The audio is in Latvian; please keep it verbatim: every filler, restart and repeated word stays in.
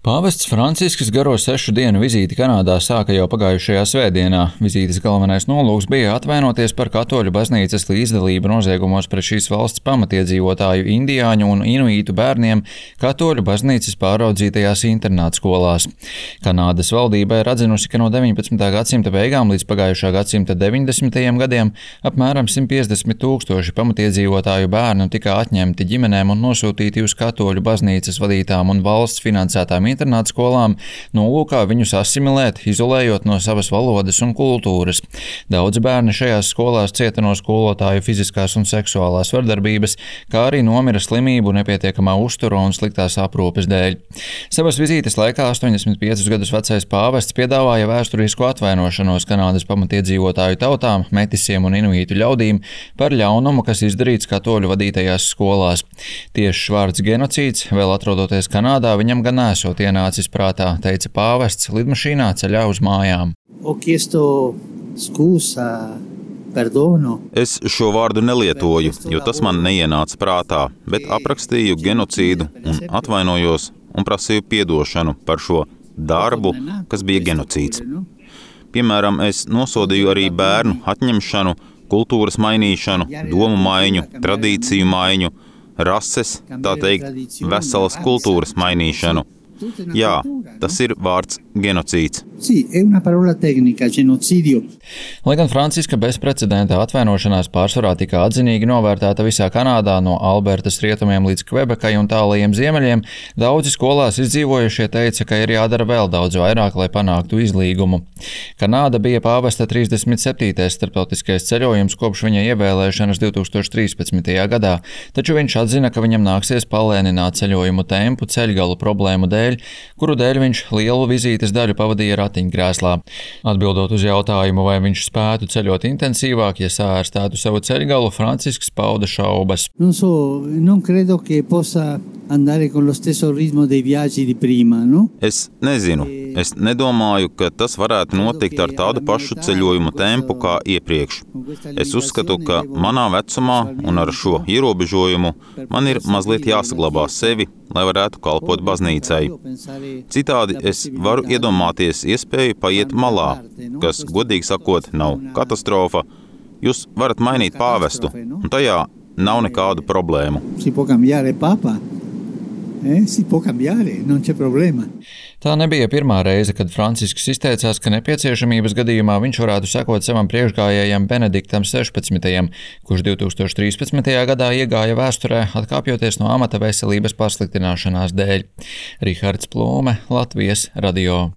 Pāvests Francisks garo sešu dienu vizīti Kanādā sāka jau pagājušajā svētdienā. Vizītes galvenais nolūks bija atvainoties par katoļu baznīcas līdzdalību noziegumos pret šīs valsts pamatiedzīvotāju indiāņu un inuītu bērniem katoļu baznīcas pāraudzītajās internātskolās. Kanādas valdība ir atzinusi, ka no deviņpadsmitā gadsimta beigām līdz pagājušā gadsimta deviņdesmitajiem gadiem apmēram simt piecdesmit tūkstoši pamatiedzīvotāju bērnu tika atņemti ģimenēm un nosūtīti uz katoļu baznīcas vadītām un valsts finansētām internātskolām, nolūkā viņus asimilēt, izolējot no savas valodas un kultūras. Daudzi bērni šajās skolās cieta no skolotāju fiziskās un seksuālās vardarbības, kā arī nomira slimību, nepietiekamā uztura un sliktās aprūpes dēļ. Savas vizītes laikā astoņdesmit piecus gadus vecais pāvests piedāvāja vēsturisku atvainošanos Kanādas pamatiedzīvotāju tautām, metisiem un inuītu ļaudīm par ļaunumu, kas izdarīts katoļu vadītajās skolās. Tiešs vārds genocīds, vēl atrodoties Kanādā, viņam gan nesot ienācis prātā, teica pāvests lidmašīnā ceļā uz mājām. Es šo vārdu nelietoju, jo tas man neienāca prātā, bet aprakstīju genocīdu un atvainojos un prasīju piedošanu par šo darbu, kas bija genocīds. Piemēram, es nosodīju arī bērnu atņemšanu, kultūras mainīšanu, domu maiņu, tradīciju maiņu, rases, tā teikt, veselas kultūras mainīšanu. Jā, tas ir vārds genocīds. Lai gan Franciska bezprecedenta atvainošanās pārsvarā tika atzinīgi novērtēta visā Kanādā no Albertas rietumiem līdz Kvebekai un tālajiem ziemeļiem, daudzi skolās izdzīvojušie teica, ka ir jādara vēl daudz vairāk, lai panāktu izlīgumu. Kanāda bija pāvesta trīsdesmit septītais starptautiskais ceļojums kopš viņa ievēlēšanas divtūkstoš trīspadsmitajā gadā, taču viņš atzina, ka viņam nāksies palēnināt ceļojumu tempu ceļgalu problēmu dēļ, kuru dēļ viņš lielu vizītes daļu pavadīja ratiņkrēslā. Atbildot uz jautājumu, vai viņš spētu ceļot intensīvāk, ja sāērstētu savu ceļgalu, Francisks pauda šaubas. Non so, non credo che possa andare con lo stesso ritmo dei viaggi di prima, no? Es nezinu. Es nedomāju, ka tas varētu notikt ar tādu pašu ceļojumu tempu kā iepriekš. Es uzskatu, ka manā vecumā un ar šo ierobežojumu man ir mazliet jāsaglabā sevi, lai varētu kalpot baznīcai. Citādi es varu iedomāties iespēju paiet malā, kas, godīgi sakot, nav katastrofa. Jūs varat mainīt pāvestu, un tajā nav nekādu problēmu. Eh, si può cambiare, non c'è problema. Tā nebija pirmā reize, kad Francisks izteicās, ka nepieciešamības gadījumā viņš varētu sekot savam priekšgājējam Benediktam sešpadsmitajam, kurš divtūkstoš trīspadsmitajā gadā iegāja vēsturē, atkāpjoties no amata veselības pasliktināšanās dēļ. Rihards Plūme, Latvijas radio.